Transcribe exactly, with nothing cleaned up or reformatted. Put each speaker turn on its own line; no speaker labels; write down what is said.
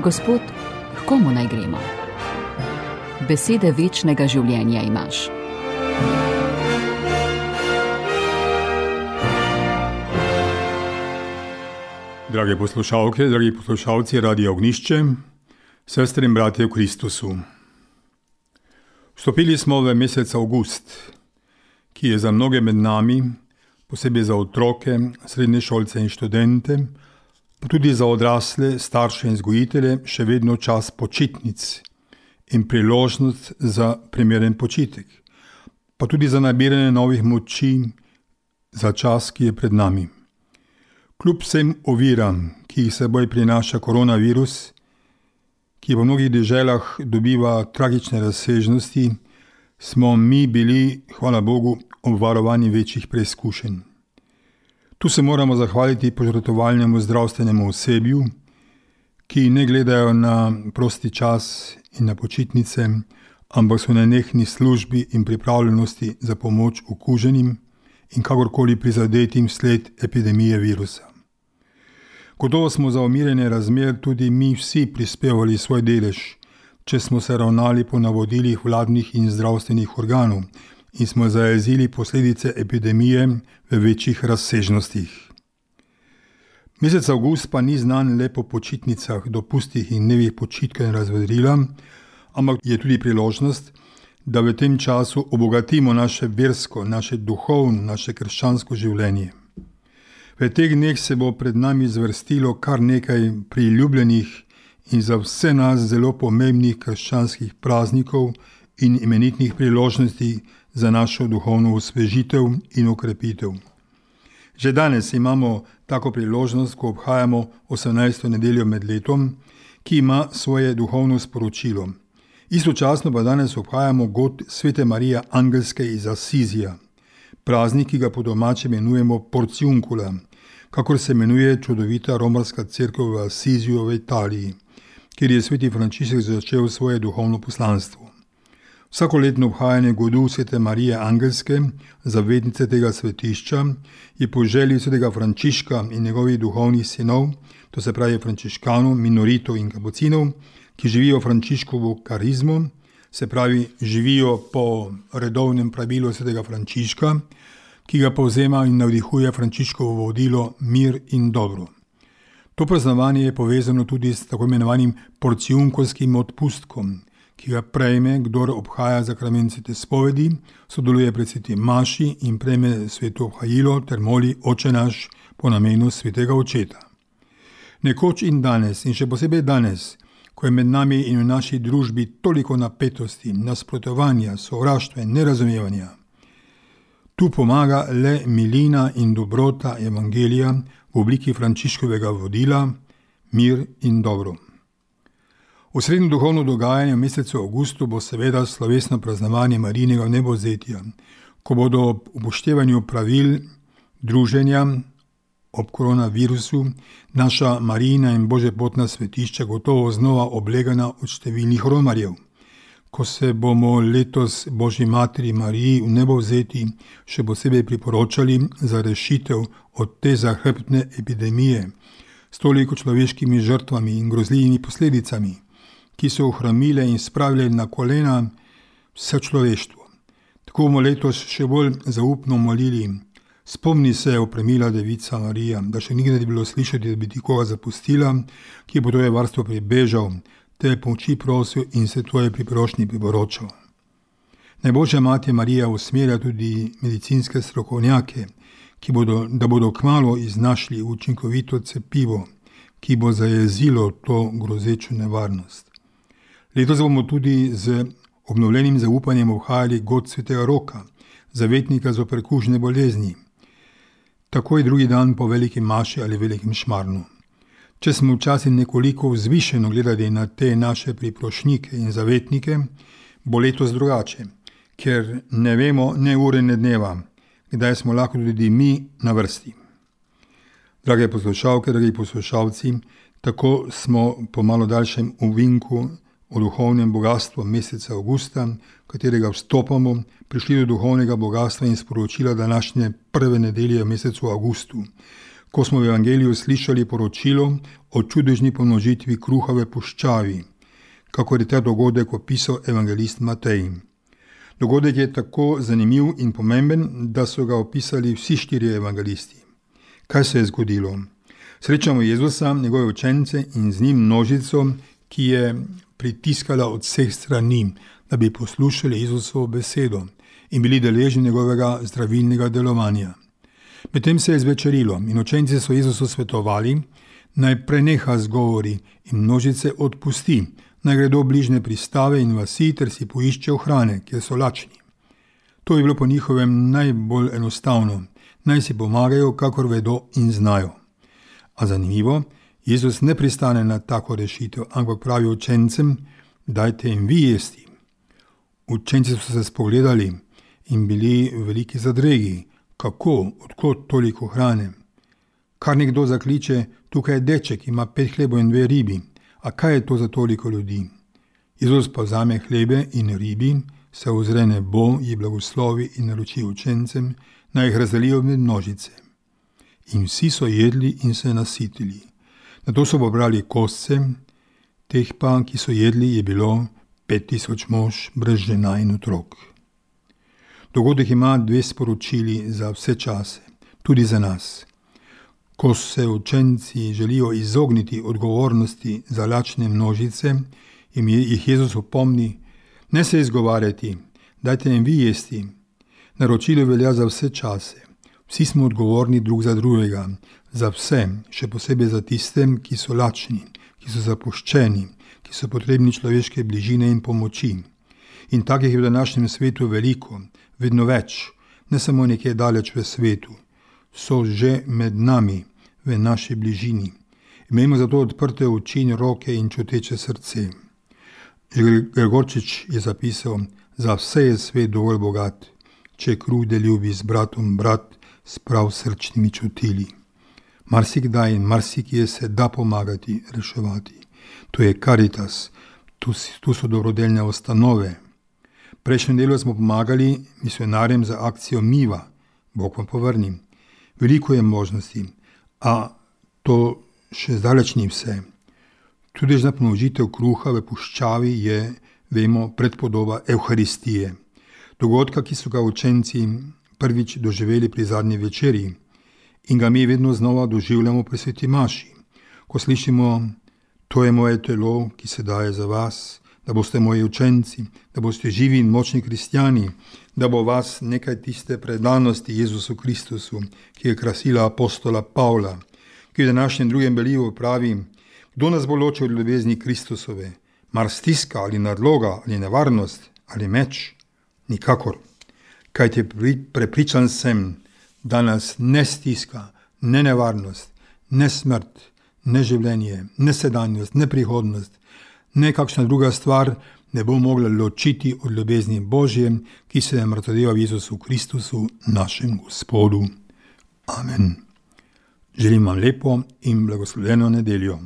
Gospod, h komu naj gremo? Besede večnega življenja imaš.
Drage poslušalke, dragi poslušalci Radia Ognjišče, sestre in bratje v Kristusu. Vstopili smo v mesec avgust, ki je za mnoge med nami, posebej za otroke, srednješolce in študente, pa tudi za odrasle, starše in vzgojitelje, še vedno čas počitnic in priložnost za primeren počitek, pa tudi za nabiranje novih moči za čas, ki je pred nami. Kljub vsem oviram, ki jih seboj prinaša koronavirus, ki v mnogih deželah dobiva tragične razsežnosti, smo mi bili, hvala Bogu, obvarovani večjih preizkušenj. Tu se moramo zahvaliti požrtvovalnemu zdravstvenemu osebju, ki ne gledajo na prosti čas in na počitnice, ampak so na nenehni službi in pripravljenosti za pomoč okuženim in kakorkoli prizadetim sled epidemije virusa. Gotovo smo za umirjanje razmer tudi mi vsi prispevali svoj delež, če smo se ravnali po navodilih vladnih in zdravstvenih organov in smo zajezili posledice epidemije v večjih razsežnostih. Mesec avgust pa ni znan le po počitnicah, dopustih in dnevih počitka in razvedrila, ampak je tudi priložnost, da v tem času obogatimo naše versko, naše duhovno, naše krščansko življenje. V teh dneh se bo pred nami zvrstilo kar nekaj priljubljenih in za vse nas zelo pomembnih krščanskih praznikov in imenitnih priložnosti za našo duhovno osvežitev in okrepitev. Že danes imamo tako priložnost, ko obhajamo osemnajsto nedeljo med letom, ki ima svoje duhovno sporočilo. Istočasno pa danes obhajamo god Svete Marije Angelske iz Asizija, praznik, ki ga po domače imenujemo Porciuncula, kakor se imenuje čudovita romarska cerkev v Asiziju v Italiji, kjer je sveti Frančišek začel svoje duhovno poslanstvo. Vsakoletno obhajanje godu Svete Marije Angelske, zavetnice tega svetišča, je po želji svetega Frančiška in njegovih duhovnih sinov, to se pravi frančiškanov, minoritov in kapucinov, ki živijo Frančiškovo karizmo, se pravi živijo po redovnem pravilu svetega Frančiška, ki ga povzema in navdihuje Frančiškovo vodilo mir in dobro. To praznovanje je povezano tudi s tako imenovanim porciunkolskim odpustkom, ki ga prejme, kdor obhaja zakrament svete spovedi, sodeluje pri sveti maši in prejme sveto obhajilo ter moli Oče naš po namenu svetega očeta. Nekoč in danes, in še posebej danes, ko je med nami in v naši družbi toliko napetosti, nasprotovanja, sovraštva in nerazumevanja, tu pomaga le milina in dobrota evangelija v obliki Frančiškovega vodila, mir in dobro. Osrednje duhovno dogajanje v mesecu avgustu bo seveda slovesno praznovanje Marijinega vnebovzetja, ko bodo ob upoštevanju pravil druženja ob koronavirusu naša Marijina in božjepotna svetišča gotovo znova oblegana od številnih romarjev. Ko se bomo letos Božji materi Mariji vnebovzeti še posebej priporočali za rešitev od te zahrbtne epidemije s toliko človeškimi žrtvami in grozljivimi posledicami, ki so ohromile in spravile na kolena vse človeštvo. Tako bomo letos še bolj zaupno molili: spomni se, opremila devica Marija, da še nikdar ni bilo slišati, da bi ti koga zapustila, ki bo tvoje varstvo pribežal, te pomoči prosil in se tvoje priprošnji priporočal. Naj Božja mati Marija usmerja tudi medicinske strokovnjake, ki bodo, da bodo kmalu iznašli učinkovito cepivo, ki bo zajezilo to grozečo nevarnost. Letos bomo tudi z obnovljenim zaupanjem obhajali god svetega Roka, zavetnika zoper kužne bolezni, takoj drugi dan po veliki maši ali velikem šmarnu. Če smo včasih nekoliko vzvišeno gledali na te naše priprošnike in zavetnike, bo letos drugače, ker ne vemo ne ure ne dneva, kdaj smo lahko tudi mi na vrsti. Drage poslušalke, dragi poslušalci, tako smo po malo daljšem uvinku o duhovnem bogatstvu meseca avgusta, v katerega vstopamo, prišli do duhovnega bogatstva in sporočila današnje prve nedelje v mesecu avgustu, ko smo v evangeliju slišali poročilo o čudežni pomnožitvi kruha v puščavi, kakor je ta dogodek opisal evangelist Matej. Dogodek je tako zanimiv in pomemben, da so ga opisali vsi štirje evangelisti. Kaj se je zgodilo? Srečamo Jezusa, njegove učence in z njim množico, ki je pritiskala od vseh strani, da bi poslušali Jezusovo besedo in bili deležni njegovega zdravilnega delovanja. Medtem se je zvečerilo in učenci so Jezusu svetovali, naj preneha z govori in množice odpusti, naj gredo v bližnje pristave in vasi ter si poiščejo hrane, kjer so lačni. To je bilo po njihovem najbolj enostavno, naj si pomagajo, kakor vedo in znajo. A zanimivo, Jezus ne pristane na tako rešitev, ampak pravi učencem, dajte jim vi jesti. Učenci so se spogledali in bili v veliki zadregi. Kako, odkot toliko hrane? Kar nekdo zakliče, tukaj je deček, ima pet hlebov in dve ribi. A kaj je to za toliko ljudi? Jezus pa vzame hlebe in ribi, se ozre nebo, ji blagoslovi in naroči učencem, naj jih razdelijo med množice. In vsi so jedli in se nasitili. Nato so pobrali kosce, teh pa, ki so jedli, je bilo pet tisoč mož brez žena in otrok. Dogodek ima dve sporočili za vse čase, tudi za nas. Ko se učenci želijo izogniti odgovornosti za lačne množice, jim jih Jezus opomni, ne se izgovarjati, dajte jim vi jesti. Naročilo velja za vse čase. Vsi smo odgovorni drug za drugega, za vse, še posebej za tiste, ki so lačni, ki so zapuščeni, ki so potrebni človeške bližine in pomoči. In takih je v današnjem svetu veliko, vedno več, ne samo nekje daleč v svetu. So že med nami, v naši bližini. Imejmo zato odprte oči in roke in čuteče srce. Gregorčič je zapisal, za vse je svet dovolj bogat, če krude ljubi z bratom brat, s prav srčnimi čutili. Marsikdaj in marsikje se da pomagati, reševati. To je Karitas, tu, tu so dobrodelne ustanove. Prejšnjem delu smo pomagali misionarjem za akcijo Miva, Bog vam povrni. Veliko je možnosti, a to še zdaleč ni vse. Čudežna pomnožitev kruha v puščavi je, vemo, predpodoba Evharistije, dogodka, ki so ga učenci prvič doživeli pri zadnji večerji in ga mi vedno znova doživljamo pri sveti maši, ko slišimo, to je moje telo, ki se daje za vas, da boste moji učenci, da boste živi in močni kristjani, da bo vas nekaj tiste predanosti Jezusu Kristusu, ki je krasila apostola Pavla, ki v današnjem drugem belivu pravi, kdo nas bo ločil od ljubezni Kristusove, mar stiska ali nadloga ali nevarnost ali meč? Nikakor. Kajti prepričan sem, da nas ne stiska, ne nevarnost, ne smrt, ne življenje, ne sedanjost, ne prihodnost, ne kakšna druga stvar ne bo mogla ločiti od ljubezni Božje, ki se je mrtvodeva v Jezusu Kristusu, našem Gospodu. Amen. Želim vam lepo in blagoslovljeno nedeljo.